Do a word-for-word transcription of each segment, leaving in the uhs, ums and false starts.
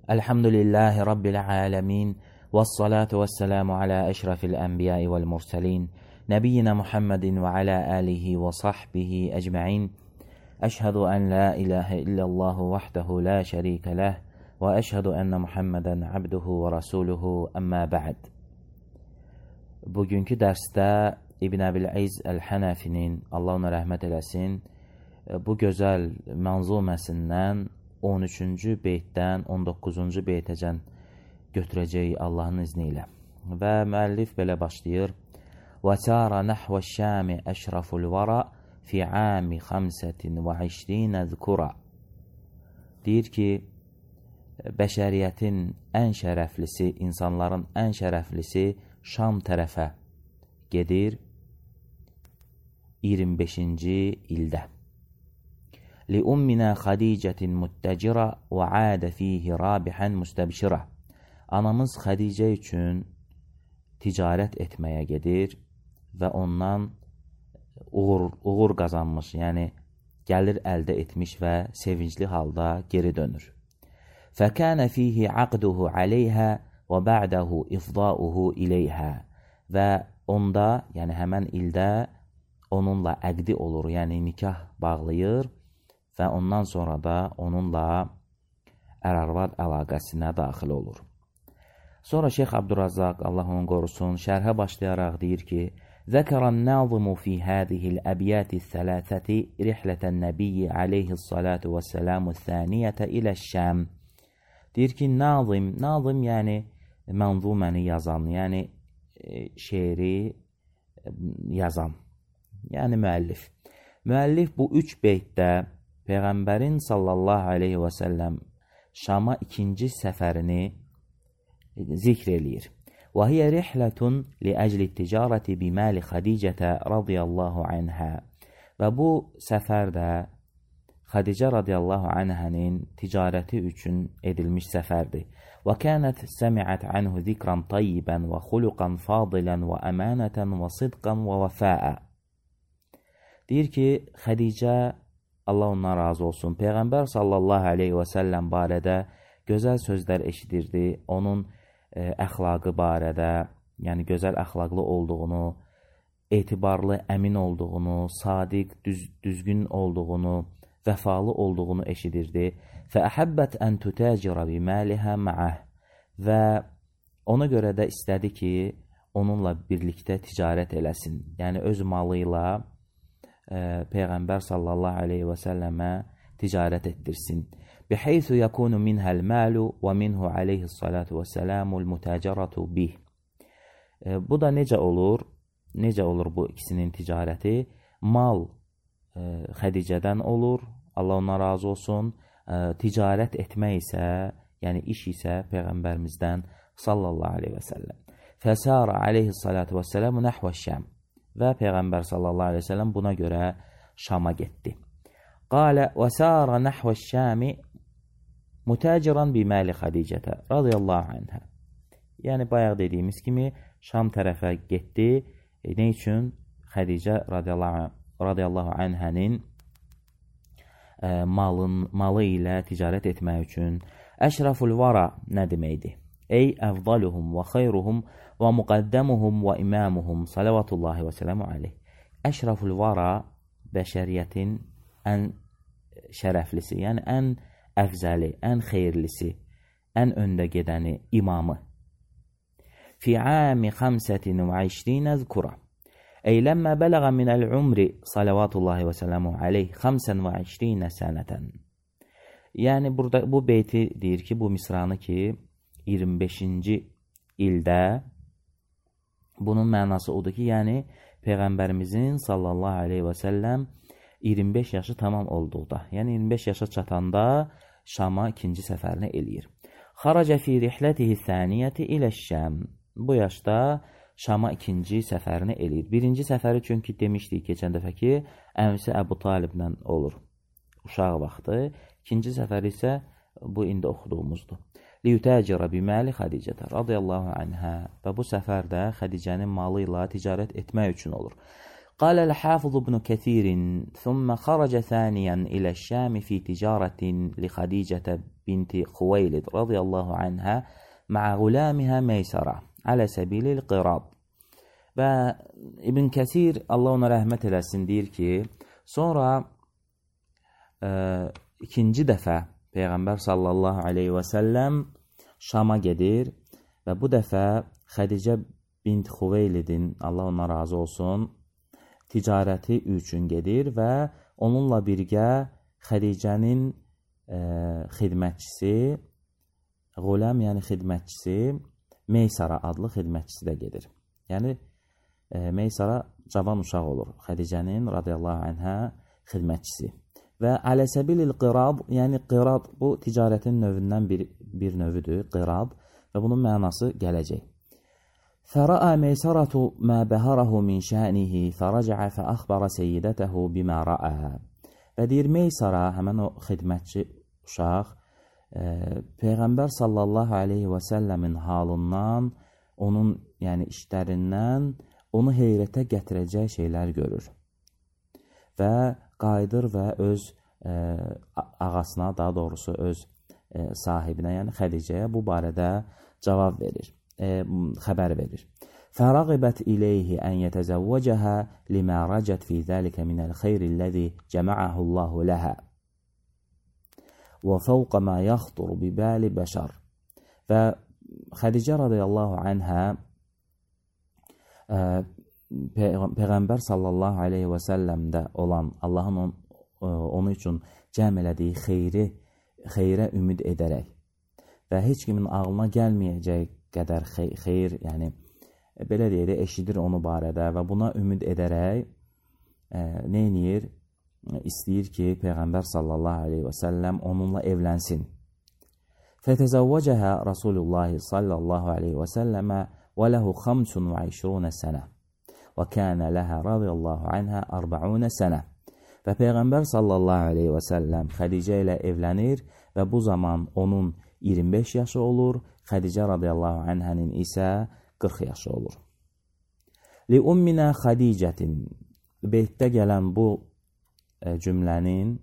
Elhamdülillahi Rabbil alemin. Vessalatu vesselamu ala eşrafil enbiyai vel murselin. Nebiyyina Muhammedin ve ala alihi ve sahbihi ecma'in. Eşhedü en la ilahe illallahu vahdehu la şerike leh. Ve eşhedü enne Muhammeden abduhu ve rasuluhu emma ba'd. Bugünkü dərsdə İbn Əbil-İz Əl-Hənəfinin, Allah ona rəhmət eləsin, bu gözəl mənzuməsindən on üçüncü beytdən on doqquzuncu beytəcən götürəcəyik Allahın izni ilə. Və müəllif belə başlayır. وَسَارَ نَحْوَ الشَّامِ أَشْرَفُ الْوَرَى فِي عَامِ خَمْسَةٍ وَعِشْرِينَ ذُكُرًا. Deyir ki, bəşəriyyətin ən şərəflisi, insanların ən şərəflisi Şam tərəfə gedir iyirmi beşinci ildə. لِأُمِّنَا خَدِيجَةٍ مُتَّجِرَةٍ وَعَادَ فِيهِ رَابِحًا مُسْتَبْشِرًا. Anamız Xədicə üçün ticarət etməyə gedir və ondan uğur, uğur qazanmış, yəni gəlir əldə etmiş və sevincli halda geri dönür. فَكَانَ فِيهِ عَقْدُهُ عَلَيْهَا وَبَعْدَهُ إِفْضَاؤُهُ إِلَيْهَا. Və onda, yəni həmən ildə onunla əqdi olur, yəni nikah bağlayır və ondan sonra da onunla ər-arvad əlaqəsinə daxil olur. Sonra Şeyx Abdurrazzaq, Allah onu qorusun, şərhə başlayaraq deyir ki, ذَكَرَ النَّاظِمُ فِي هَذِهِ الْأَبْيَاتِ الثَّلَاثَةِ رِحْلَةَ النَّبِيِّ عَلَيْهِ الصَّلَاةُ وَالسَّلَامُ الثَّانِيَةَ إِلَى الشَّامِ. Deyir ki, nazim, nazim yəni mənzuməni yazan, yəni şeiri yazan, yəni müəllif. Müəllif bu üç beytdə Peyğəmbərin sallallahu aleyhi və səlləm Şama ikinci səfərini zikr eləyir. وَهِيَ رِحْلَةٌ لِأَجْلِ التِّجَارَةِ بِمَالِ خَدِيجَةَ رَضِيَ اللّٰهُ عَنْهَا. Və bu səfərdə Xədicə radiyallahu anhənin ticarəti üçün edilmiş səfərdir. وَكَانَتْ سَمِعَتْ عَنْهُ ذِكْرًا طَيِّبًا وَخُلُقًا فَاضِلًا وَأَمَانَةً وَصِدْقًا وَوَفَاءً. Deyir ki, Xədicə, Allah ondan razı olsun, Peyğəmbər sallallahu aleyhi və səlləm barədə gözəl sözlər eşidirdi, onun e, əxlaqı barədə, yəni gözəl əxlaqlı olduğunu, etibarlı, əmin olduğunu, sadiq, düz, düzgün olduğunu, vəfalı olduğunu eşidirdi. فَأَحَبَّتْ أَنْ تُتَاجِرَ بِمَالِهَا مَعَهِ. Və ona görə də istədi ki, onunla birlikdə ticarət eləsin. Yəni öz malı ilə e, Peyğəmbər sallallahu aleyhi və səlləmə ticarət etdirsin. بِحَيْثُ يَكُونُ مِنْهَا الْمَالُ وَمِنْهُ عَلَيْهِ الصَّلَاةُ وَالسَّلَامُ الْمُتَاجَرَةُ بِهِ. e, Bu da necə olur? Necə olur bu ikisinin ticarəti? Mal e, Xədicədən olur, Allah ona razı olsun. E, ticarət etmək isə, yəni iş isə Peyğəmbərimizdən sallallahu aleyhi və səlləm. Fəsara aleyhissalatu və sələmu nəhvə şəm. Və Peyğəmbər sallallahu aleyhi və səlləm buna görə Şama getdi. Qalə və sara nəhvə şəmi mütəciran biməli Xədicətə radiyallahu anhə. Yəni bayaq dediyimiz kimi Şam tərəfə getdi. E, nə üçün? Xədicə radiyallahu, radiyallahu anhənin e, malın, malı ilə ticarət etmək üçün. Əşraful vara nə deməkdir? Ey əvdaluhum və xeyruhum və müqəddəmuhum və imamuhum salavatullahi və sələmu aleyh. Əşraful vara bəşəriyyətin ən şərəflisi, yəni ən əfzəli, ən xeyirlisi, ən öndə gedəni, imamı. Fi ami xamsətin və işrinə zükura. Ey ləmmə bələğə minəl umri salavatullahi və sələmu aleyh xamsən və işrinə sənətən. Yəni burada bu beyti deyir ki, bu misranı ki, iyirmi beşinci ildə, bunun mənası odur ki, yəni Peyğəmbərimizin sallallahu aleyhi və səlləm iyirmi beş yaşı tamam olduqda, yəni iyirmi beş yaşa çatanda Şama ikinci səfərini eləyir. Xaracə fi rihlətihi thaniyyəti ilə şəm. Bu yaşda Şama ikinci səfərini eləyir. Birinci səfəri çünki demişdik keçən dəfə ki, əmsi Əbu Taliblə olur. Uşaq vaxtı. İkinci səfəri isə bu indi oxuduğumuzdur. Liyutəcirə biməli Xədicətə radiyallahu anhə. Və bu səfərdə Xədicənin malı ilə ticarət etmək üçün olur. قال الحافظ ابن كثير ثم خرج ثانيا إلى الشام في تجارة لخديجة بنت خويلد رضي الله عنها مع غلامها ميسرة على سبيل القراض. Və İbn Kəsir, Allah ona rəhmət eləsin, deyir ki, sonra e, ikinci dəfə Peyğəmbər sallallahu aleyhi və səlləm Şama gedir və bu dəfə Xədicə bint Xuveylidin, Allah ona razı olsun, ticarəti üçün gedir və onunla birgə Xədicənin e, xidmətçisi, Qulam, yəni xidmətçisi, Meysara adlı xidmətçisi də gedir. Yəni, e, Meysara cavan uşaq olur, Xədicənin radiyallahu anhə xidmətçisi. Və aləsəbilil qirab, yəni qirab bu ticarətin növündən bir, bir növüdür, qirab və bunun mənası gələcək. Fərəə Meysaratu mə bəhərəhu min şənihi fərəcəə fəəxbərə seyyidətəhu bimə rəə. Və deyir, Meysara, həmən o xidmətçi uşaq, e, Peyğəmbər sallallahu aleyhi və səlləmin halından, onun yəni işlərindən onu heyrətə gətirəcək şeylər görür. Və qayıdır və öz e, ağasına, daha doğrusu öz e, sahibinə, yəni Xədicəyə bu barədə cavab verir, e, xəbər verir. Fərəğibət iləyhi ən yətəzəvvəcəhə limə rəcət fi zəlikə minəl xeyrilləzi cəməəhullahu ləhə və fəvqə mə yaxdur bibəli bəşər. Və Xədicə radiyallahu anhə e, Peyğəmbər sallallahu aleyhi və səlləmdə olan Allahın on, onun üçün cəm elədiyi xeyri, xeyrə ümid edərək və heç kimin ağlına gəlməyəcək qədər xey, xeyr, yəni belə deyək də eşidir onu barədə və buna ümid edərək e, nə edir? İstəyir ki, Peyğəmbər sallallahu aleyhi və səlləm onunla evlənsin. Fətəzəvvəcəhə Rasulullah sallallahu aleyhi və səlləmə və ləhu xamsun və işrunə sənə və kənə ləhə radiyallahu anhə arba'unə sənə. Və Peyğəmbər sallallahu aleyhi və səlləm Xədicə ilə evlənir və bu zaman onun iyirmi beş yaşı olur, Xədicə radiyallahu anhənin isə qırx yaşı olur. Li umminə Xədicətin, beytdə gələn bu e, cümlənin,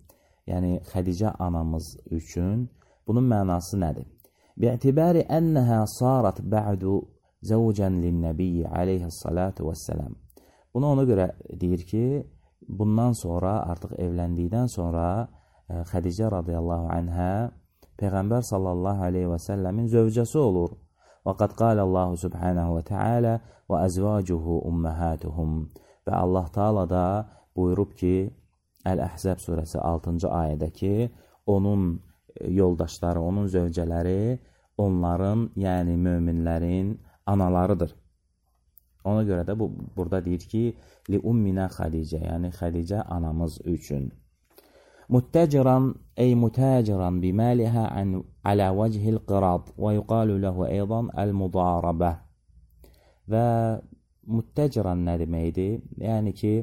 yəni Xədicə anamız üçün bunun mənası nədir? Bi'tibari ənəhə sarat bə'du zəvcən linnəbiyyi aleyhissalatu vəssələm. Bunu ona görə deyir ki, bundan sonra, artıq evləndikdən sonra e, Xədicə radiyallahu anhə Peyğəmbər sallallahu aleyhi və səlləmin zövcəsi olur. Və qad qalə Allahu subhanahu və teala və əzvacuhu umməhatuhum. Və Allah Taala da buyurub ki, Əl-Əhzəb surəsi altıncı ayədə ki, onun yoldaşları, onun zövcələri onların, yəni möminlərin analarıdır. Ona görə də bu, burada deyir ki, li umminə Xədicə, yəni Xədicə anamız üçün. Muttəciran, ey mutəciran biməlihə alə vəcihil qirab və yuqalu ləhu eydan əl-mudarabə. Və muttəciran nə deməkdir? Yəni ki,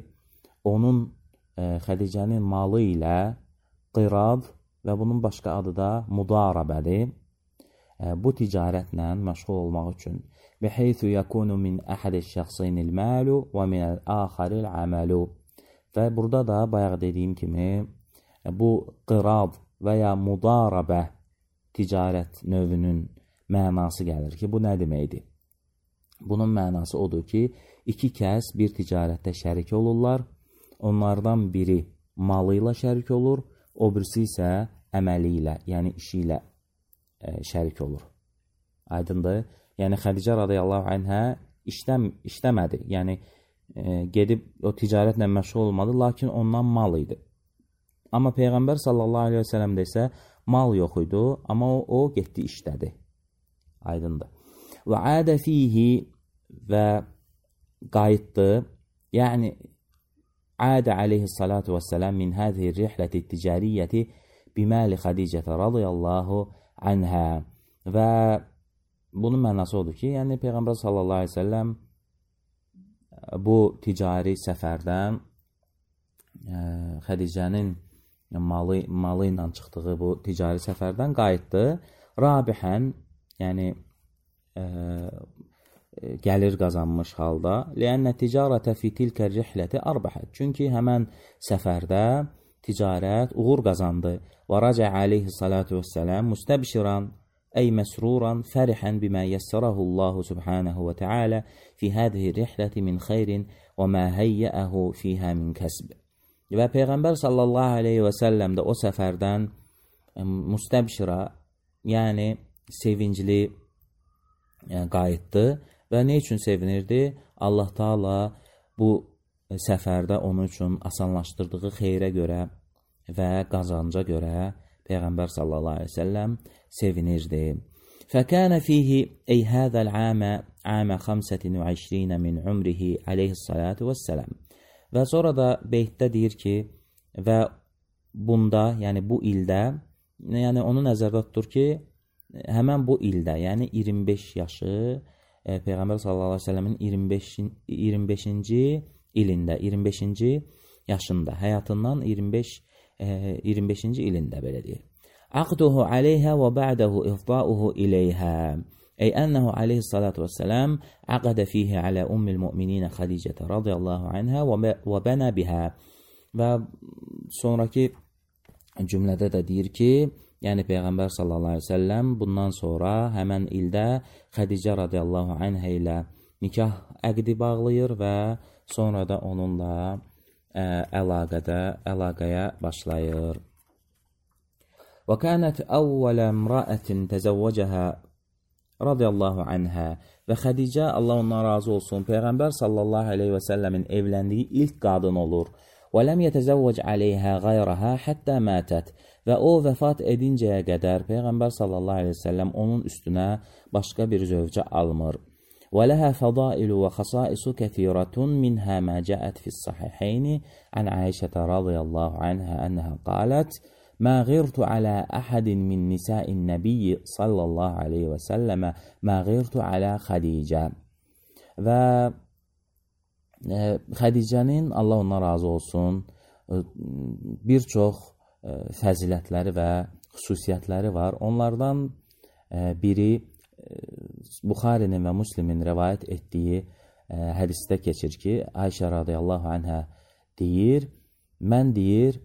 onun e, Xədicənin malı ilə qirab və bunun başqa adı da mudarabədir. E, bu ticarətlə məşğul olmaq üçün. Biheythu yakunu min əhədiş şəxsinil məlu və minəl axaril əməlu. Və burada da bayaq dediyim kimi bu qirab və ya mudarabə ticarət növünün mənası gəlir ki, bu nə deməkdir? Bunun mənası odur ki, iki kəs bir ticarətdə şərik olurlar. Onlardan biri malı ilə şərik olur, o birisi isə əməli ilə, yəni işi ilə e, şərik olur. Aydındır? Yəni Xədicə radiyallahu anhə işləm, işləmədi. Yəni e, gedib o ticarətlə məşğul olmadı, lakin ondan mal idi. Amma Peyğəmbər sallallahu aleyhi və səlləmdə isə mal yox idi, amma o, o getdi işlədi. Aydındır. Və adə fihi və qayıtdı. Yəni adə aleyhissalatu vəssələm min həzihi rihləti ticariyyəti biməli Xədicətə radiyallahu anhə. Və bunun mənası odur ki, yəni Peyğəmbər sallallahu aleyhi və səlləm bu ticari səfərdən ə, Xədicənin malı, malı ilə çıxdığı bu ticari səfərdən qayıtdı. Rabihən, yəni ə, gəlir qazanmış halda. Li'anna ticarətə fi tilkə rihləti arbəhət. Çünki həmən səfərdə ticarət uğur qazandı. Və rəcə aleyhi salatu vesselam müstəbşiran ey məsruran fərihən bimə yəssərəhu Allahu subhanahu və teala fi hədihi rihləti min xeyrin və mə həyyəəhu fiyhə min kəsb. Və Peyğəmbər sallallahu aleyhi və səlləm də o səfərdən müstəbşira, yəni sevincli qayıtdı və nə üçün sevinirdi? Allah Taala bu səfərdə onun üçün asanlaşdırdığı xeyrə görə və qazanca görə Peyğəmbər sallallahu aleyhi və səlləm sevinirdi. Fəkənə fihi ey həzəl əmə əmə xəmsətin və işrinə min umrihi aleyhissalatu vəssələm. Və sonra da beytdə deyir ki, və bunda, yəni bu ildə, yəni onu nəzərdə tutur ki, həmən bu ildə, yəni iyirmi beş yaşı, e, Peyğəmbər sallallahu aleyhi və səlləmin iyirmi beşinci ilində, iyirmi beşinci yaşında, həyatından iyirmi beş, e, iyirmi beşinci ilində belə deyir. Aqduhu aleyhə və ba'dahu ifdauhu ileyhə. Ey ənəhu aleyhissalatu vesselam aqadə fihi alə ummil müminə Xədicətə radiyallahu anhə və bənə bihə. Və sonraki cümlədə də deyir ki, yəni Peyğəmbər sallallahu aleyhi ve sellem bundan sonra həmən ildə Xədicə radiyallahu anhə ilə nikah əqdi bağlayır və sonra da onunla ə, əlaqədə, əlaqəyə başlayır. Və kənət əvvələ imra'ətin təzəvvəcəhə radiyallahu anhə. Və Xədicə, Allah ondan razı olsun, Peyğəmbər sallallahu aleyhi və səlləmin evləndiyi ilk qadın olur. Və ləm yətəzəvvəc aleyhə qayrəhə həttə mətət. Və o vəfat edincəyə qədər Peyğəmbər sallallahu aleyhi və səlləm onun üstünə başqa bir zövcə almır. Və ləhə fədailu və xasaisu kəthirətun minhə mə cəət fis-sahihəyni ən Aişətə radiyallahu anhə ənəhə qalət ما غرت على أحد من نساء النبي صلى الله عليه وسلم ما غرت على Xədicə. Və e, Xədicənin, Allah ondan razı olsun, e, bir çox e, fəzilətləri və xüsusiyyətləri var. Onlardan e, biri e, Buxarinin və Müslimin rəvayət etdiyi e, hədisdə keçir ki, Ayşə radiyallahu anhə deyir, mən deyir,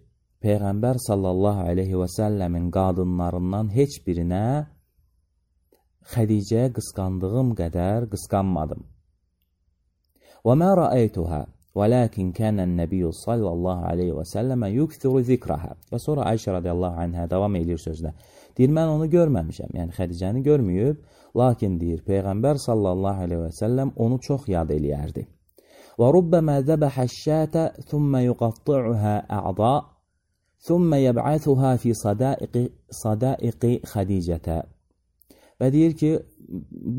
Peyğəmbər sallallahu aleyhi və səlləmin qadınlarından heç birinə Xədicəyə qısqandığım qədər qısqanmadım. Və mə rəəytuhə və ləkin kənən nəbiyyü sallallahu aleyhi və səlləmə yukthuru zikrəhə. Və sonra Ayşə radiyallahu anhə davam edir sözlə. Deyir, mən onu görməmişəm, yəni Xədicəni görməyib, lakin deyir, Peyğəmbər sallallahu aleyhi və səlləm onu çox yad eləyərdi. Və rubbəmə zəbəhə şətə thümmə yuqatti'uhə ə'da ثُمَّ يَبْعَثُهَا فِي صَدَائِقِ Xədicətə. Və deyir ki,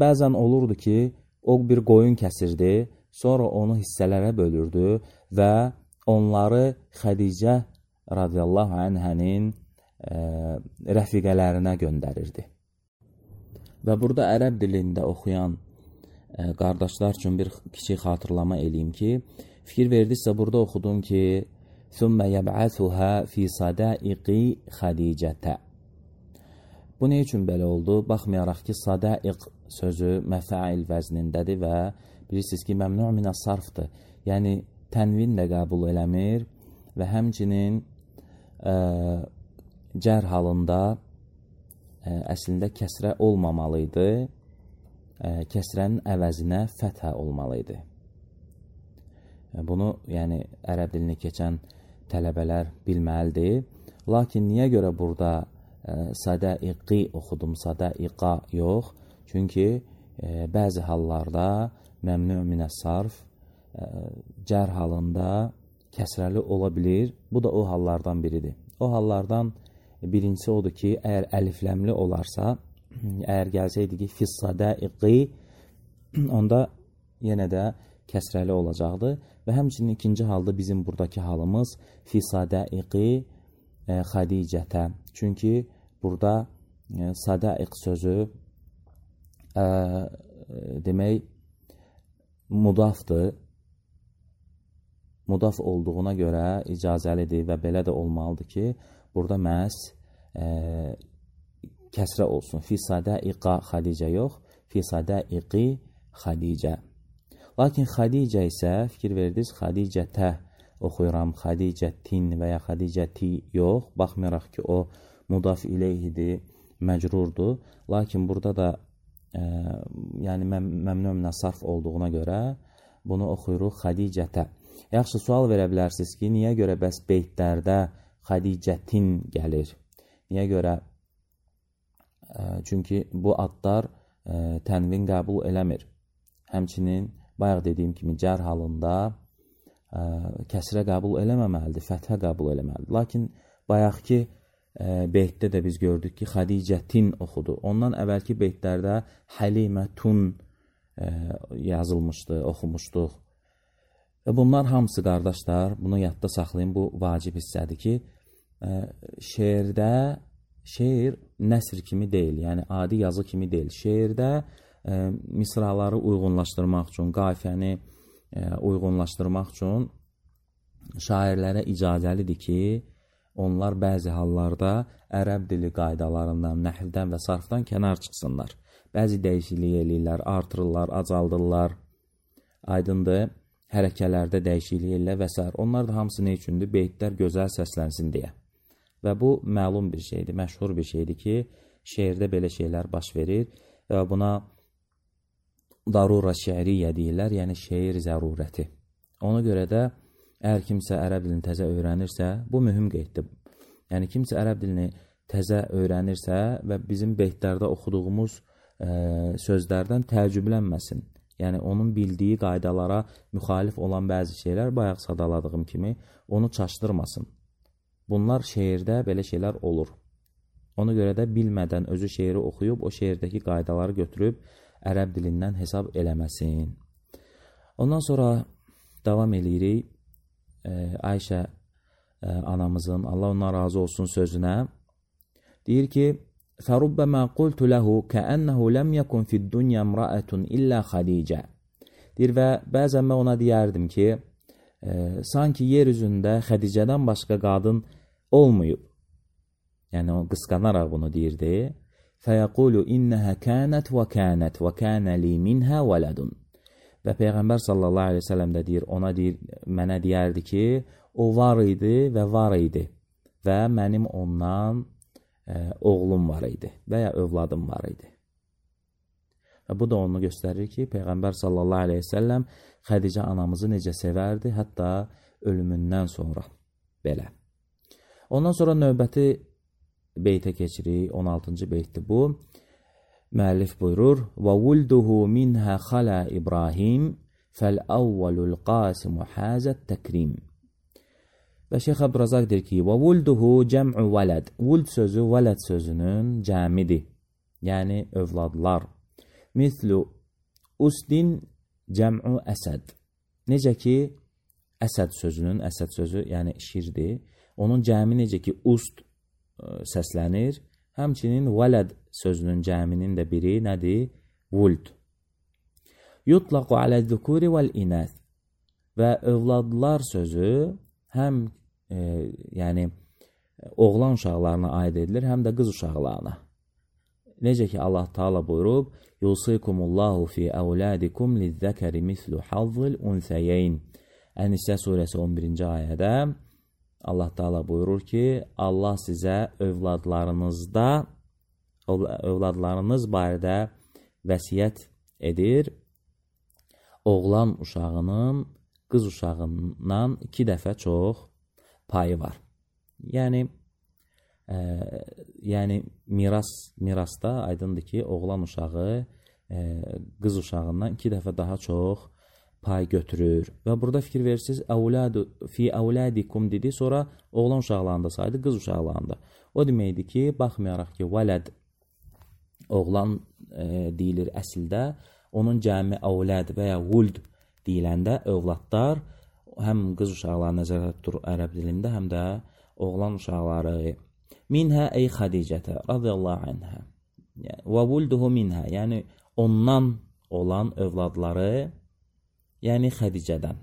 bəzən olurdu ki, o bir qoyun kəsirdi, sonra onu hissələrə bölürdü və onları Xədicə radiyallahu anhənin e, rəfiqələrinə göndərirdi. Və burada ərəb dilində oxuyan e, qardaşlar üçün bir kiçik xatırlama eləyim ki, fikir verdisə burada oxudum ki, ثُمَّ يَبْعَثُهَا فِي صَدَائِقِ Xədicətə. Bu nə üçün belə oldu? Baxmayaraq ki, sadaiq sözü məfəil vəznindədir və bilirsiniz ki, məmnu' minə sarfdır. Yəni, tənvin də qəbul eləmir və həmçinin ə, cər halında ə, əslində kəsrə olmamalıydı. Ə, kəsrənin əvəzinə fəthə olmalıydı. Bunu, yəni, ərəb dilini keçən tələbələr bilməlidir. Lakin niyə görə burada e, sadaiqi oxudum, sadaiqa yox? Çünki e, bəzi hallarda məmnu' minə sarf e, cər halında kəsrəli ola bilir. Bu da o hallardan biridir. O hallardan birincisi odur ki, əgər əlifləmli olarsa, əgər gəlsəydi ki, fis sadaiqi, onda yenə də kəsrəli olacaqdır. Və həmçinin ikinci halda bizim buradakı halımız fi sadaiqi e, Xədicətə. Çünki burada e, sadaiq sözü e, demək mudafdır. Mudaf olduğuna görə icazəlidir və belə də olmalıdır ki, burada məhz e, kəsrə olsun. Fi sadaiqa Xədicə yox, fi sadaiqi Xədicə. Lakin Xədicə isə, fikir verdiniz, Xədicətə oxuyuram, Xədicətin və ya Xədicəti yox. Baxmayaraq ki, o mudaf ileyhidir, məcrurdur. Lakin burada da e, yəni məm məmnunla sarf olduğuna görə bunu oxuyuruq Xədicətə. Yaxşı, sual verə bilərsiniz ki, niyə görə bəs beytlərdə Xədicətin gəlir? Niyə görə? E, çünki bu adlar e, tənvin qəbul eləmir. Həmçinin bayaq dediyim kimi cər halında ə, kəsrə qəbul eləməməlidir, fəthə qəbul eləməlidir. Lakin bayaqki ə, beytdə də biz gördük ki, Xədicətin oxudu. Ondan əvvəlki beytlərdə Həlimətun ə, yazılmışdı, oxumuşduq. Və bunlar hamısı qardaşlar, bunu yadda saxlayın, bu vacib hissədir ki, ə, şeirdə, şeir nəsr kimi deyil, yəni adi yazı kimi deyil. Şeirdə ə, misraları uyğunlaşdırmaq üçün, qafiyəni ə, uyğunlaşdırmaq üçün şairlərə icazəlidir ki, onlar bəzi hallarda ərəb dili qaydalarından, nəhvdən və sarfdan kənar çıxsınlar. Bəzi dəyişiklik eləyirlər, artırırlar, acaldırlar, aydındır, hərəkələrdə dəyişiklik eləyirlər və s. Onlar da hamısı nə üçündür? Beytlər gözəl səslənsin deyə. Və bu məlum bir şeydir, məşhur bir şeydir ki, şeirdə belə şeylər baş verir və buna darura şeiriyyə deyirlər, yəni şeir zərurəti. Ona görə də əgər kimsə ərəb dilini təzə öyrənirsə, bu mühüm qeyddir. Yəni kimsə ərəb dilini təzə öyrənirsə və bizim beytlərdə oxuduğumuz ə, sözlərdən təəccüblənməsin. Yəni onun bildiyi qaydalara müxalif olan bəzi şeylər, bayaq sadaladığım kimi, onu çaşdırmasın. Bunlar şeirdə belə şeylər olur. Ona görə də bilmədən özü şeiri oxuyub, o şeirdəki qaydaları götürüb ərəb dilindən hesab eləməsin. Ondan sonra davam eləyirik e, Ayşə e, anamızın, Allah ondan razı olsun sözünə. Deyir ki, فَرُبَّمَا قُلْتُ لَهُ كَأَنَّهُ لَمْ يَكُنْ فِي الدُّنْيَا امْرَأَةٌ إِلَّا خَدِيجَ. Deyir və bəzən mən ona deyərdim ki, e, sanki yer üzündə Xədicədən başqa qadın olmayıb. Yəni o qısqanaraq bunu deyirdi. فَيَقُولُ إِنَّهَا كَانَتْ وَكَانَتْ وَكَانَ لِي مِنْهَا وَلَدٌ. Və Peyğəmbər sallallahu aleyhi ve sellem də deyir, ona deyir, mənə deyərdi ki, o var idi və var idi və mənim ondan e, oğlum var idi və ya övladım var idi. Və bu da onu göstərir ki, Peyğəmbər sallallahu aleyhi ve sellem Xədicə anamızı necə sevərdi, hətta ölümündən sonra belə. Ondan sonra növbəti beytə keçirik, on altıncı beytdir bu. Müəllif buyurur: "Və vulduhu minha xala İbrahim fəl-əvvəlul qasimu hazət təkrim." Və Şeyx Abdurazaq deyir ki, "Və vulduhu cəm'u vələd." Vuld sözü vələd sözünün cəmidir, yəni övladlar. Mislu usdin cəm'u əsəd. Necə ki, əsəd sözünün, əsəd sözü yəni şirdir, onun cəmi necə ki, ust səslənir. Həmçinin vələd sözünün cəminin də biri nədir? Vuld. Yutlaqu aləz-zukuri vəl-inəth. Və övladlar sözü həm e, yəni oğlan uşaqlarına aid edilir, həm də qız uşaqlarına. Necə ki Allah Taala buyurub: "Yusikumullahu fi auladikum liz-zakari mislu hazzil unsayayn." Ən-Nisə surəsi on birinci ayədə Allah Taala buyurur ki, Allah sizə övladlarınızda, övladlarınız barədə vəsiyyət edir. Oğlan uşağının qız uşağından iki dəfə çox payı var. Yəni, e, yəni miras, mirasda aydındır ki, oğlan uşağı e, qız uşağından iki dəfə daha çox pay götürür. Və burada fikir verirsiniz, əvladu fi əvladikum dedi, sonra oğlan uşaqlarında saydı, qız uşaqlarında. O deməkdir ki, baxmayaraq ki, vələd oğlan e, deyilir əsildə, onun cəmi əvləd və ya vuld deyiləndə övladlar həm qız uşaqları nəzərdə tutur ərəb dilində, həm də oğlan uşaqları. Minhə ey Xədicətə radiyallahu anhə və vulduhu minhə, yəni ondan olan övladları, yəni Xədicədən.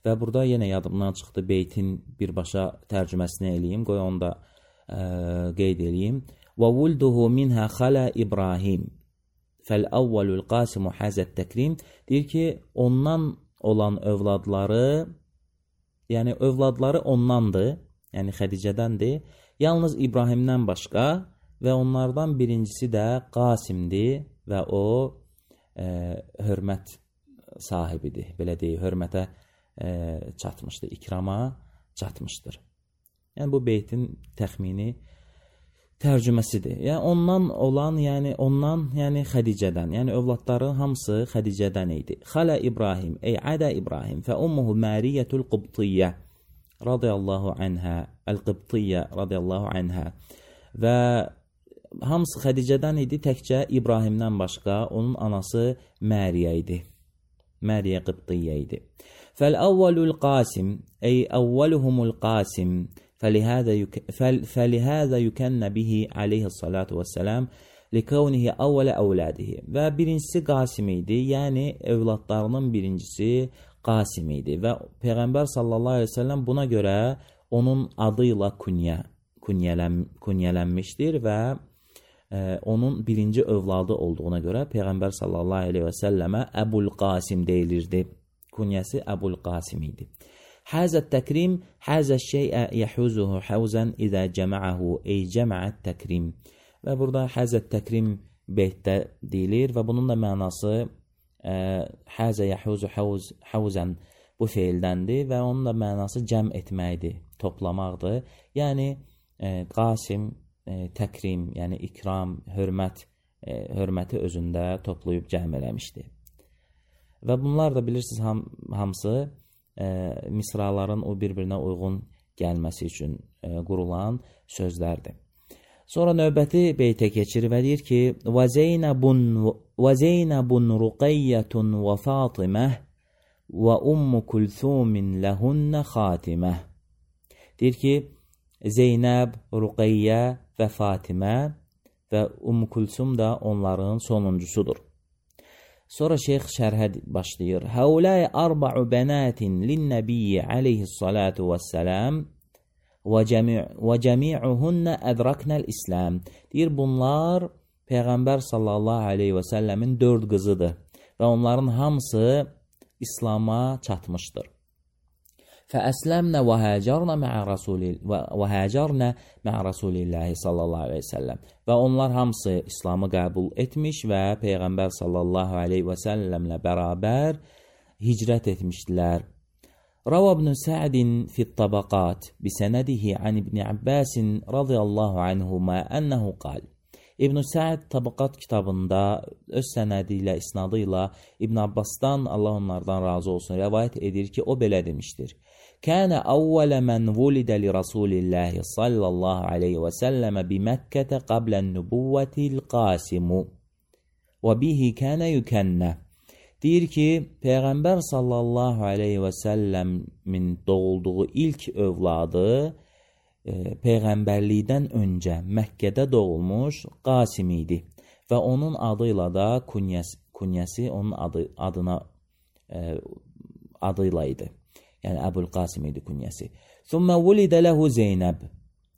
Və burada yenə yadımdan çıxdı beytin birbaşa tərcüməsini eləyim, qoy onu da ə, qeyd eləyim. Və vulduhu minhə xalə İbrahim fəl-əvvəlul qasimu həzət təkrim. Deyir ki, ondan olan övladları, yəni övladları ondandır, yəni Xədicədəndir. Yalnız İbrahimdən başqa və onlardan birincisi də Qasimdir və o e, hörmət sahibidir. Belə deyək, hörmətə e, çatmışdır, ikrama çatmışdır. Yəni bu beytin təxmini tərcüməsidir. Yəni ondan olan, yəni ondan, yəni Xədicədən, yəni övladların hamısı Xədicədən idi. Xalə İbrahim, ey ədə İbrahim, fə ummuhu Məriyyətul Qibtiyyə radiyallahu anhə, Əl-Qibtiyyə radiyallahu anhə. Və hamısı Xədicədən idi, təkcə İbrahimdən başqa onun anası Məriyə idi. Məriyə Qibtiyyə idi. Fəl-əvvəlul qasim, ey əvvəluhumul qasim, فلهذا يك... فلهذا يكن به عليه الصلاة والسلام لكونه أول أولاده. Və birincisi Qasim idi, yəni övladlarının birincisi Qasim idi və Peyğəmbər sallallahu aleyhi ve sellem buna görə onun adıyla künyə, künyələn, künyələnmişdir və e, onun birinci övladı olduğuna görə Peyğəmbər sallallahu aleyhi ve sellemə Əbul Qasim deyilirdi. Künyəsi Əbul Qasim idi. Həzət təkrim, həzət şeyə yəhuzuhu həvzən idə cəməəhu, ey cəməət təkrim. Və burada həzət təkrim beytdə deyilir və bunun da mənası e, həzə yəhuzu həvz, həvzən bu feildəndir və onun da mənası cəm etməkdir, toplamaqdır. Yəni e, Qasim, e, təkrim, yəni ikram, hörmət, e, hörməti özündə toplayıb cəm eləmişdir. Və bunlar da bilirsiniz ham, hamısı E, misraların o bir-birinə uyğun gəlməsi üçün e, qurulan sözlərdir. Sonra növbəti beytə keçir və deyir ki, وَزَيْنَبٌ رُقَيَّةٌ وَفَاطِمَةٌ وَأُمُّ كُلْثُومٍ لَهُنَّ خَاتِمَةٌ. Deyir ki, Zeynəb, Ruqayyə və Fatimə və Umm Kulsum da onların sonuncusudur. Sonra şeyx şərhə başlayır. Həuləy arba'u bənatin linnəbiyyə aleyhissalatu vəssələm və cəmi'uhunnə ədraknəl İslam. Deyir, bunlar Peyğəmbər sallallahu aleyhi və səlləmin dörd qızıdır və onların hamısı İslama çatmışdır. فأسلمنا وهاجرنا مع رسول وهاجرنا مع رسول الله sallallahu aleyhi ve sellem. Və onlar hamısı İslamı qəbul etmiş və Peyğəmbər sallallahu aleyhi və səlləmlə bərabər hicrət etmişdilər. Rava ibn Sa'din fi tabaqat bi sanadihi an ibn Abbas radiyallahu anhuma ennehu qal. İbn Sa'd Tabaqat kitabında öz sənədi ilə, isnadı ilə İbn Abbasdan, Allah onlardan razı olsun, rəvayət edir ki, o belə demişdir. Kənə əvvələ mən vulidə li Rasulillahi sallallahu aleyhi və səlləmə bi Məkkətə qablən nübuvvətil qasimu və bihi kənə yükənnə. Deyir ki, Peyğəmbər sallallahu aleyhi və səlləmin doğulduğu ilk övladı Peyğəmbərlikdən öncə Məkkədə doğulmuş Qasim idi və onun adıyla da künyəsi, künyəsi onun adı, adına e, adıyla idi. Yəni Əbul Qasim idi künyəsi. Thumma vulidə ləhu Zeynəb.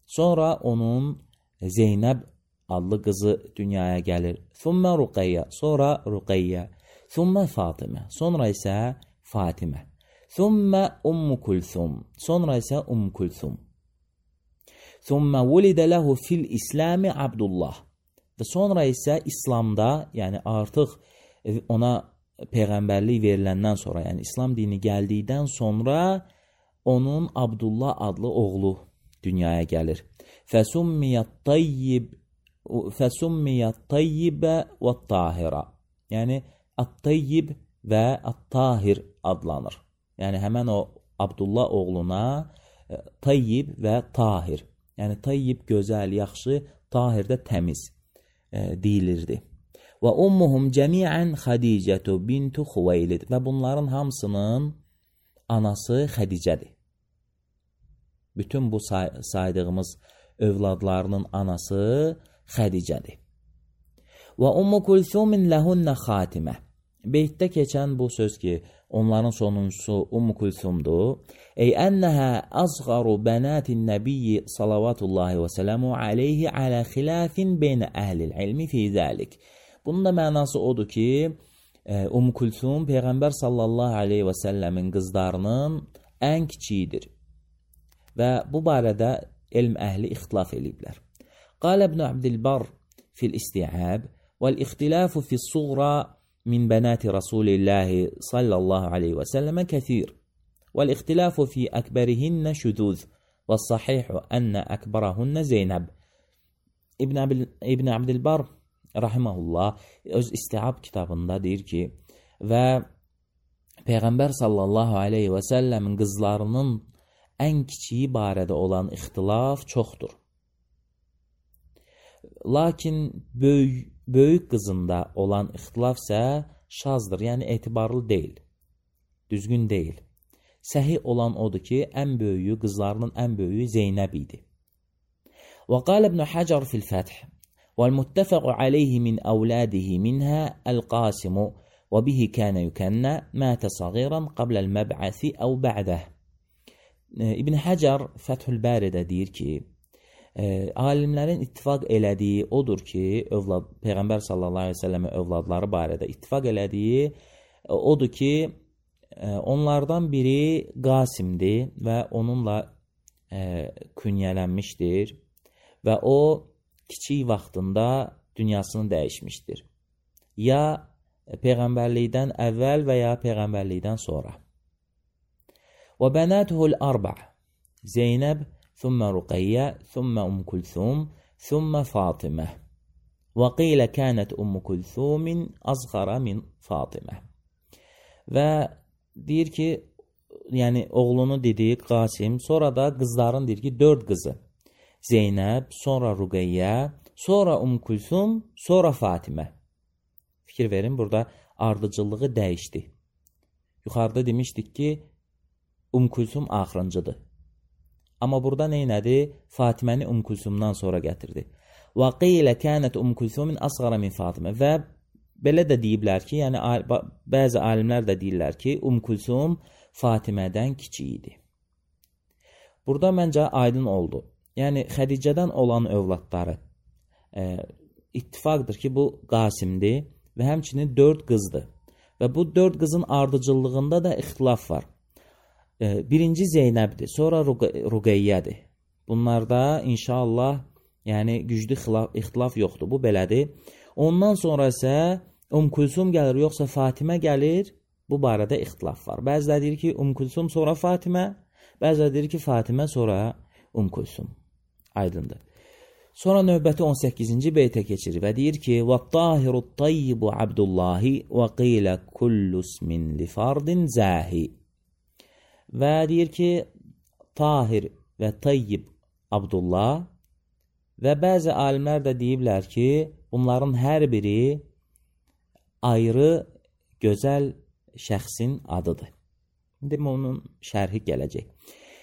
Sonra onun Zeynəb adlı qızı dünyaya gəlir. Thumma Ruqayyə. Sonra Ruqayyə. Thumma Fatimə. Sonra isə Fatimə. Thumma Ummu Kulthum. Sonra isə Ummu Kulthum. Thumma vulidə ləhu fil İslami Abdullah. Və sonra isə İslamda, yəni artıq ona Peyğəmbərlik veriləndən sonra, yəni İslam dini gəldikdən sonra onun Abdullah adlı oğlu dünyaya gəlir. Fəsummiyyət tayyib fəsummiyyət tayyibə və tahira. Yəni at-tayyib və at-tahir adlanır. Yəni həmən o Abdullah oğluna tayyib və tahir. Yəni tayyib gözəl, yaxşı, tahir də təmiz e, deyilirdi. Və ummuhum cəmiən Xədicətu bintu Xuveylid. Və bunların hamısının anası Xədicədir. Bütün bu say saydığımız övladlarının anası Xədicədir. Və Ummu Kulsumin lehunnə xatimə. Beytdə keçən bu söz ki, onların sonuncusu Ummu Kulsumdur. Ey ennəhə azğaru bənatin nəbiyyi salavatullahi və sələmu aleyhi alə xilafin beynə əhlil ilmi fi zəlik. Bunun da mənası odur ki, Umm Kulsum Peyğəmbər sallallahu aleyhi və səlləmin qızlarının ən kiçiyidir. Və bu barədə elm əhli ixtilaf eləyiblər. Qal İbn Abdilbar fil isti'ab vəl-ixtilafu fis-suğra min bənati Rasulillahi sallallahu aleyhi və səlləmə kəthir. Vəl-ixtilafu fi əkbərihinnə şüduz və sahihu ənə əkbərəhunnə Zeynəb. İbn, İbn Abdilbar rahiməhullah öz istiab kitabında deyir ki, və Peyğəmbər sallallahu aleyhi və səlləmin qızlarının ən kiçiyi barədə olan ixtilaf çoxdur. Lakin böyük, böyük qızında olan ixtilaf isə şazdır, yəni etibarlı deyil, düzgün deyil. Səhih olan odur ki, ən böyüyü, qızlarının ən böyüyü Zeynəb idi. Və qal İbn Hacar fil Fəth وَالْمُتَّفَقُ عَلَيْهِ مِنْ أَوْلَادِهِ مِنْهَا الْقَاسِمُ وَبِهِ كَانَ يُكَنَّى مَاتَ صَغِيرًا قَبْلَ الْمَبْعَثِ أَوْ بَعْدَهِ. İbn Hacar Fəthül Bəridə deyir ki, e, alimlərin ittifaq elədiyi odur ki, övlad, Peyğəmbər sallallahu aleyhi ve sellem'in övladları barədə ittifaq elədiyi e, odur ki, e, onlardan biri Qasimdir və onunla e, künyələnmişdir və o kiçik vaxtında dünyasını dəyişmişdir. Ya Peyğəmbərlikdən əvvəl və ya Peyğəmbərlikdən sonra. Və bənətuhul arba' Zeynəb, thumma Ruqayyə, thumma Umm Kulthum, thumma Fatimə. Və qilə kənət Umm Kulthumin azğara min Fatimə. Və deyir ki, yəni oğlunu dedi Qasim, sonra da qızların deyir ki, dörd qızı. Zeynəb, sonra Ruqayyə, sonra Umm Kulthum, sonra Fatimə. Fikir verin, burada ardıcıllığı dəyişdi. Yuxarıda demişdik ki, Umm Kulthum axırıncıdır. Amma burada neynədi? Fatiməni Umm Kulthumdan sonra gətirdi. Və qilə kənət Umm Kulthumin asğara min Fatimə. Və belə də deyiblər ki, yəni bəzi alimlər də deyirlər ki, Umm Kulthum Fatimədən kiçik idi. Burada məncə aydın oldu. Yəni Xədicədən olan övladları e, ittifaqdır ki, bu Qasimdir və həmçinin dörd qızdır. Və bu dörd qızın ardıcıllığında da ixtilaf var. E, birinci Zeynəbdir, sonra Ruqayyədir. Bunlarda inşallah yəni güclü xilaf, ixtilaf yoxdur, bu belədir. Ondan sonra isə Umm Kulthum gəlir, yoxsa Fatimə gəlir, bu barədə ixtilaf var. Bəziləri deyir ki, Umm Kulthum sonra Fatimə, bəziləri deyir ki, Fatimə sonra Umm Kulthum. Aydındır. Sonra növbəti on səkkizinci beytə keçirir və deyir ki, وَالطَّاهِرُ الطَّيِّبُ عَبْدُ اللّٰهِ وَقِيلَ كُلُّ اسْمٍ لِفَرْدٍ زَاهِ. Və deyir ki, Tahir və Tayyib Abdullah və bəzi alimlər də deyiblər ki, bunların hər biri ayrı, gözəl şəxsin adıdır. İndi onun şərhi gələcək.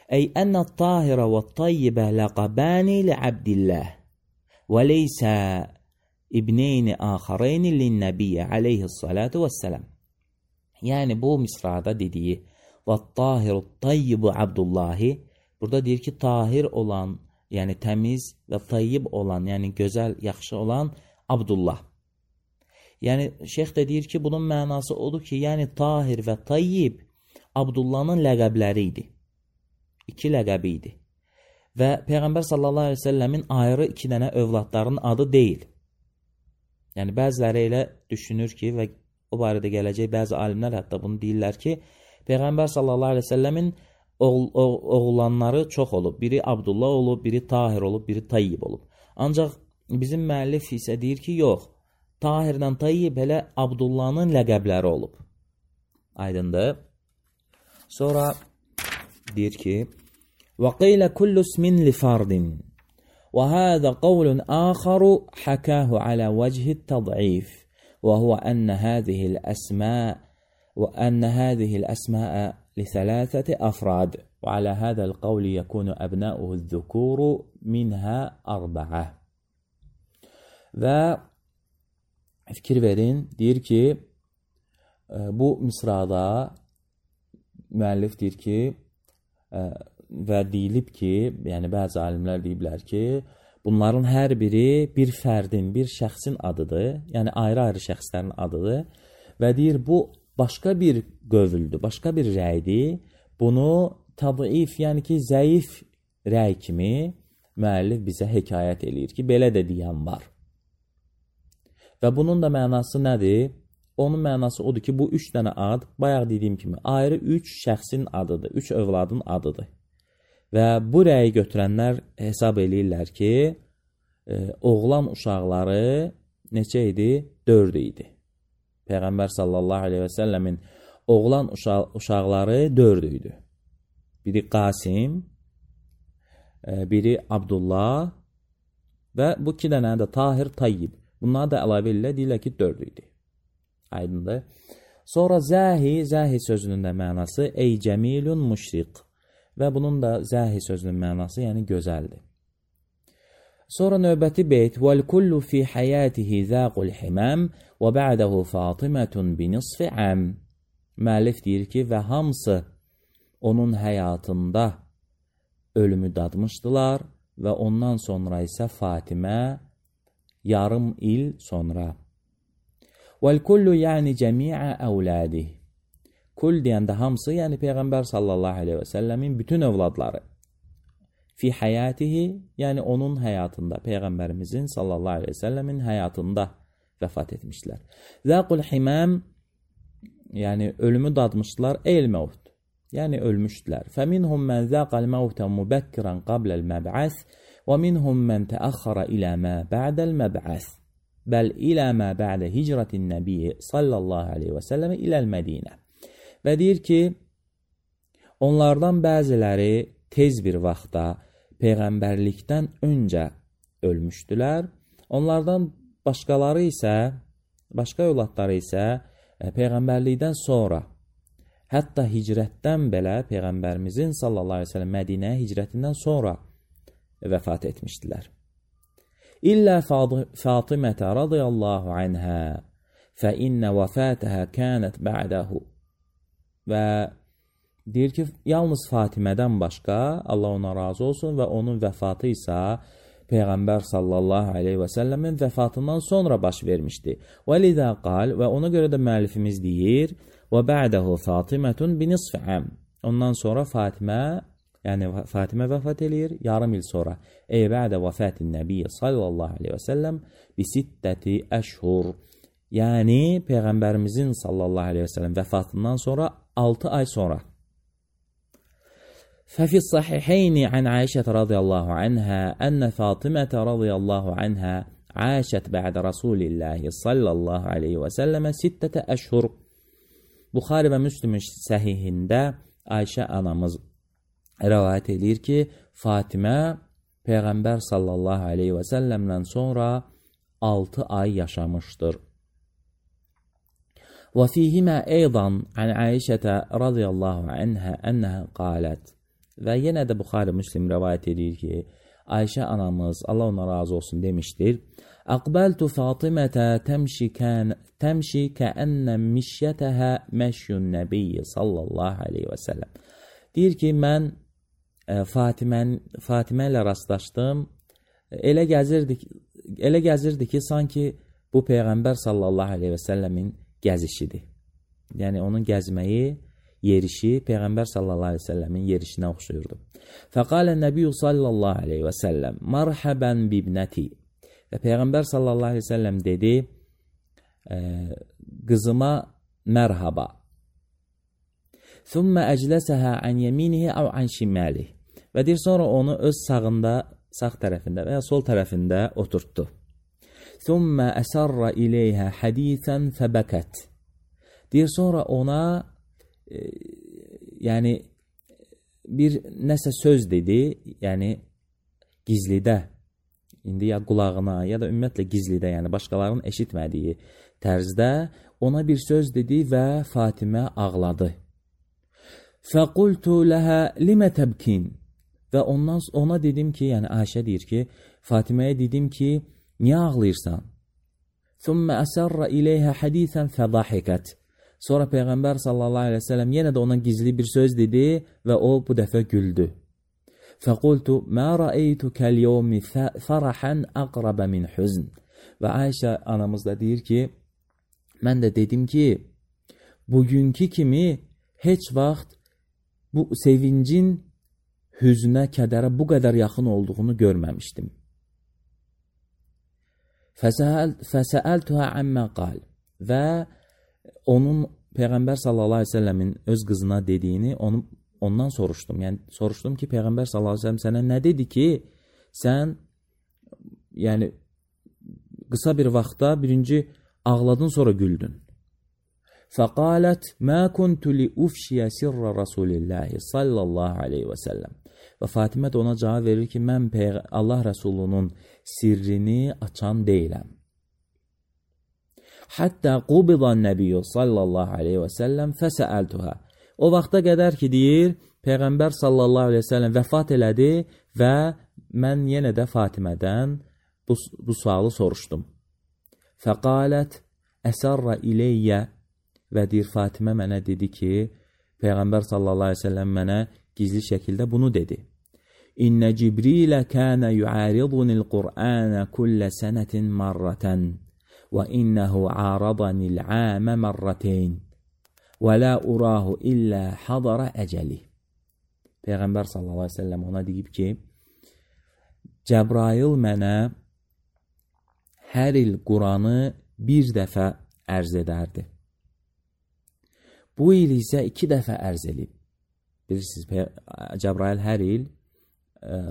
Ey ennət tahirə və tayyibə ləqabəni li-abdilləh və leysə ibneyni axareyni lin-nəbiyyə aleyhissalatu vəssələm. Yəni bu misrada dediyi və tahiru tayyibu abdullahi, burada deyir ki, tahir olan, yəni təmiz və tayyib olan, yəni gözəl, yaxşı olan Abdullah. Yəni şeyx də deyir ki, bunun mənası odur ki, yəni tahir və tayyib Abdullahın ləqəbləri idi. İki ləqəbi idi. Və Peyğəmbər sallallahu aleyhi ve sellemin ayrı iki dənə övladların adı deyil. Yəni bəziləri elə düşünür ki, və o barədə gələcək bəzi alimlər hətta bunu deyirlər ki, Peyğəmbər sallallahu aleyhi ve sellemin oğul, oğullanları çox olub. Biri Abdullah olub, biri Tahir olub, biri Tayyib olub. Ancaq bizim müəllif isə deyir ki, yox, Tahirdən Tayyib elə Abdullahın ləqəbləri olub. Aydındır. Sonra deyir ki, وَقِيلَ كُلُّ اسْمٍ لِفَرْدٍ وَهَذَا قَوْلٌ آخَرُ حَكَاهُ عَلَى وَجْهِ التَّضْعِيفِ وَهُوَ أَنَّ هَذِهِ الْأَسْمَاء وَأَنَّ هَذِهِ الْأَسْمَاءَ لِثَلَاثَةِ أَفْرَادٍ وَعَلَى هَذَا الْقَوْلِ يَكُونُ أَبْنَاؤُهُ الذُّكُورُ مِنْهَا أَرْبَعَةٍ. Və fikir verin, deyir ki, bu misrada müəllif deyir ki, və deyilib ki, yəni bəzi alimlər deyiblər ki, Bunların hər biri bir fərdin, bir şəxsin adıdır. Yəni ayrı-ayrı şəxslərin adıdır. Və deyir, bu başqa bir qövüldür, başqa bir rəydir. Bunu tadif, yəni ki, zəif rəy kimi müəllif bizə hekayət eləyir ki, belə də deyən var. Və bunun da mənası nədir? Onun mənası odur ki, bu üç dənə ad, bayaq dediyim kimi, ayrı üç şəxsin adıdır, üç övladın adıdır. Və bu rəyi götürənlər hesab eləyirlər ki, e, oğlan uşaqları neçə idi? Dörd idi. Peyğəmbər sallallahu aleyhi və səlləmin oğlan uşaq, uşaqları dörd idi. Biri Qasim, e, biri Abdullah və bu iki dənə də Tahir, Tayyib. Bunlar da əlavə ilə deyirlər ki, dörd idi. Aydındır. Sonra zəhi, zəhi sözünün də mənası ey cəmilun müşriq. Və bunun da zəhi sözünün mənası, yəni gözəldir. Sonra növbəti beyt وَالْكُلُّ فِي حَيَاتِهِ ذَاقُ الْحِمَامِ وَبَعْدَهُ فَاطِمَةٌ بِنِصْفِ عَامٍ. Müəllif deyir ki, və hamısı onun həyatında ölümü dadmışdılar və ondan sonra isə Fatimə yarım il sonra. وَالْكُلُّ yəni cəmiə əvlədih. Kul deyəndə hamısı, yəni Peyğəmbər sallallahu aleyhi və səlləmin bütün övladları. Fi həyatihi, yəni onun həyatında, Peyğəmbərimizin sallallahu aleyhi və səlləmin həyatında vəfat etmişlər. Zəqul himəm, yəni ölümü dadmışdılar, el məvt, yəni ölmüşdülər. Fəminhum mən zəqal məvtə mübəkkirən qabləl məb'əs və minhum mən təəxxara ilə mə bə'dəl məb'əs bəl ilə mə bə'də hicrətin nəbiyyə sallallahu aleyhi və səlləmə iləl Mədinə. Və deyir ki, onlardan bəziləri tez bir vaxtda Peyğəmbərlikdən öncə ölmüşdülər. Onlardan başqaları isə, başqa övladları isə Peyğəmbərlikdən sonra, hətta hicrətdən belə Peyğəmbərimizin sallallahu aleyhi ve sellem Mədinəyə hicrətindən sonra vəfat etmişdilər. İllə Fatimətə radiyallahu anhə fə innə vəfatəhə kənət bə'dəhu. Və deyir ki, yalnız Fatimədən başqa, Allah ona razı olsun, və onun vəfatı isə Peyğəmbər sallallahu aleyhi və səlləmin vəfatından sonra baş vermişdi. Və lidə qal, və ona görə də müəllifimiz deyir, və bə'dəhu Fatimətun binisfəm. Ondan sonra Fatimə, yəni Fatimə vəfat eləyir, yarım il sonra. Ey bə'də vəfatin nəbiyyə sallallahu aleyhi və səlləm bisittəti əşhur. Yəni Peyğəmbərimizin sallallahu aleyhi və səlləm vəfatından sonra altı ay sonra. ففي الصحيحين عن عائشة رضي الله عنها أن فاطمة رضي الله عنها عاشت بعد رسول الله صلى الله عليه وسلم ستة أشهر. Buxari və Müslim səhihində Ayşə anamız rəvayət edir ki, Fatimə Peyğəmbər sallallahu aleyhi və səlləmdən sonra altı ay yaşamışdır. وفيهما أيضا عن عائشة رضي الله عنها أنها قالت. Və yenə də Buxari Müslim rəvayət edir ki, Ayşə anamız, Allah ona razı olsun, demişdir. Aqbaltu Fatimətə təmşi, kən, təmşi kəənnə mişyətəhə məşyun nəbiyyə sallallahu aleyhi və səlləm. Deyir ki, mən e, Fatimən, Fatimə ilə rastlaşdım. Elə gəzirdi, elə gəzirdi ki, sanki bu Peyğəmbər sallallahu aleyhi və səlləmin gəzişidir. Yəni onun gəzməyi, yerişi Peyğəmbər sallallahu aleyhi və səlləmin yerişinə oxşuyurdu. Fəqalə nəbiyyü sallallahu aleyhi və səlləm marhəbən bibnəti. Və Peyğəmbər sallallahu aleyhi və səlləm dedi, e, qızıma mərhaba. Thumma əcləsəhə ən yəminihi əv ən şimalih. Və deyir, sonra onu öz sağında, sağ tərəfində və ya sol tərəfində oturtdu. Thumma əsərrə iləyhə hədithən fəbəkət. Deyir, sonra ona e, yəni bir nəsə söz dedi, yəni gizlidə, indi ya qulağına, ya da ümumiyyətlə gizlidə, yəni başqalarının eşitmədiyi tərzdə ona bir söz dedi və Fatimə ağladı. Fəqultu ləhə limə təbkin. Və ondan ona dedim ki, yəni Ayşə deyir ki, Fatiməyə dedim ki, niyə ağlayırsan? Thumma əsərrə iləyhə hədithən fədahikət. Sonra Peyğəmbər sallallahu aleyhi və səlləm yenə də ona gizli bir söz dedi və o bu dəfə güldü. فَقُلْتُ مَا رَأَيْتُكَ الْيَوْمِ فَرَحًا أَقْرَبَ مِنْ حُزْنٍ. Və Ayşə anamız da deyir ki, mən də dedim ki, bugünkü kimi heç vaxt bu sevincin hüznə, kədərə bu qədər yaxın olduğunu görməmişdim. فَسَأَلْتُهَا عَمَّا قَالْ. Və onun Peyğəmbər sallallahu aleyhi ve sellemin öz qızına dediyini onu, ondan soruşdum. Yəni soruşdum ki, Peyğəmbər sallallahu aleyhi ve sellem sənə nə dedi ki, sən yəni qısa bir vaxtda birinci ağladın, sonra güldün. فَقَالَتْ مَا كُنْتُ لِأُفْشِيَ سِرَّ رَسُولِ اللّٰهِ sallallahu aleyhi ve sellem. Və Fatimə də ona cavab verir ki, mən Allah Rəsulunun sirrini açan deyiləm. Hatta qubidan nəbiyyu sallallahu aleyhi və səlləm fəsəəltuhə. O vaxta qədər ki, deyir, Peyğəmbər sallallahu aleyhi və səlləm vəfat elədi və mən yenə də Fatimədən bu, bu sualı soruşdum. Fəqalət əsərrə iləyyə. Və deyir, Fatimə mənə dedi ki, Peyğəmbər sallallahu aleyhi və səlləm mənə gizli şəkildə bunu dedi. İnnə Cibrilə kənə yu'aridunil Qur'anə kullə sənətin marrətən və innəhu aradənil əmə marrətəyn və la urahu illə hadara əcəli. Peyğəmbər sallallahu aleyhi və səlləm ona deyib ki, Cəbrail mənə hər il Quranı bir dəfə ərz edərdi. Bu il isə iki dəfə ərz edib. Bilirsiniz, Cəbrail hər il e,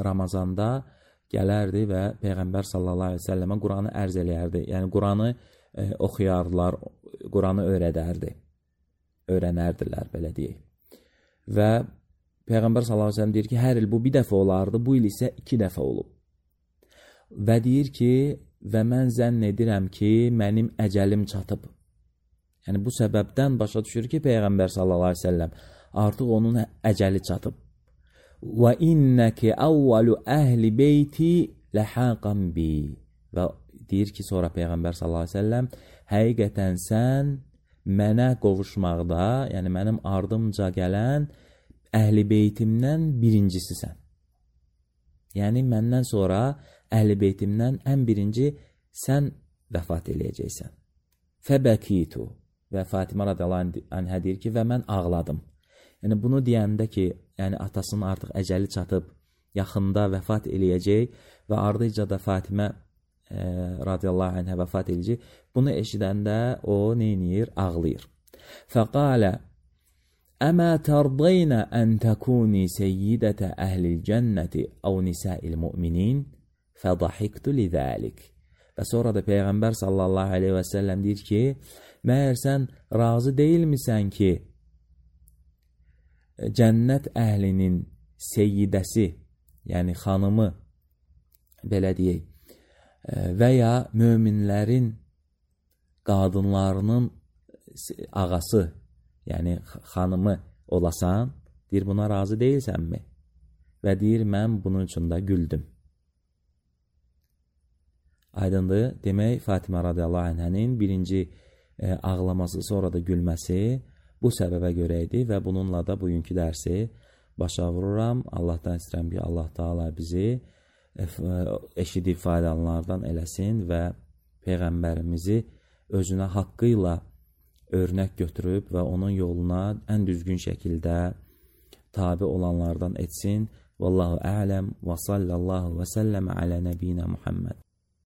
Ramazanda gələrdi və Peyğəmbər sallallahu aleyhi ve səlləmə Quranı ərz eləyərdi. Yəni, Quranı e, oxuyardılar, Quranı öyrədərdi. Öyrənərdilər, belə deyək. Və Peyğəmbər sallallahu aleyhi ve səlləm deyir ki, hər il bu bir dəfə olardı, bu il isə iki dəfə olub. Və deyir ki, və mən zənn edirəm ki, mənim əcəlim çatıb. Yəni, bu səbəbdən başa düşür ki, Peyğəmbər sallallahu aleyhi ve səlləm artıq onun əcəli çatıb. Və innəki əvvəlu əhli beyti ləhəqən bi. Və deyir ki, sonra Peyğəmbər sallallahu aleyhi ve səlləm həqiqətən sən mənə qovuşmaqda, yəni mənim ardımca gələn əhli beytimdən birincisisən. Yəni, məndən sonra əhli beytimdən ən birinci sən vəfat eləyəcəksən. Fəbəkitu. Və Fatimə radiyallahu anhə deyir ki, və mən ağladım. Yəni, bunu deyəndə ki, yəni atasının artıq əcəli çatıb, yaxında vəfat eləyəcək və ardıca da Fatimə e, radiyallahu anhə vəfat eləyəcək. Bunu eşidəndə o neyniyir? Ağlayır. Fəqalə əmə tərdaynə ən təkuni seyyidətə əhlil cənnəti əv nisəil müminin fədahiktu lidəlik. Və sonra da Peyğəmbər sallallahu aleyhi və səlləm deyir ki, məyər sən razı deyilmisən ki, cənnət əhlinin seyyidəsi, yəni xanımı, belə deyək, və ya möminlərin qadınlarının ağası, yəni xanımı olasan, deyir, buna razı deyilsənmi? Və deyir, mən bunun üçün də güldüm. Aydındır, demək, Fatimə radiyallahu anhənin birinci e, ağlaması, sonra da gülməsi bu səbəbə görə idi və bununla da bugünkü dərsi başa vururam. Allahdan istəyirəm ki, Allah Taala bizi e, eşidib faydalananlardan eləsin və Peyğəmbərimizi özünə haqqı ilə örnək götürüb və onun yoluna ən düzgün şəkildə tabi olanlardan etsin. Vallahu a'lem və sallallahu və səlləm alə nəbiyinə Muhammed.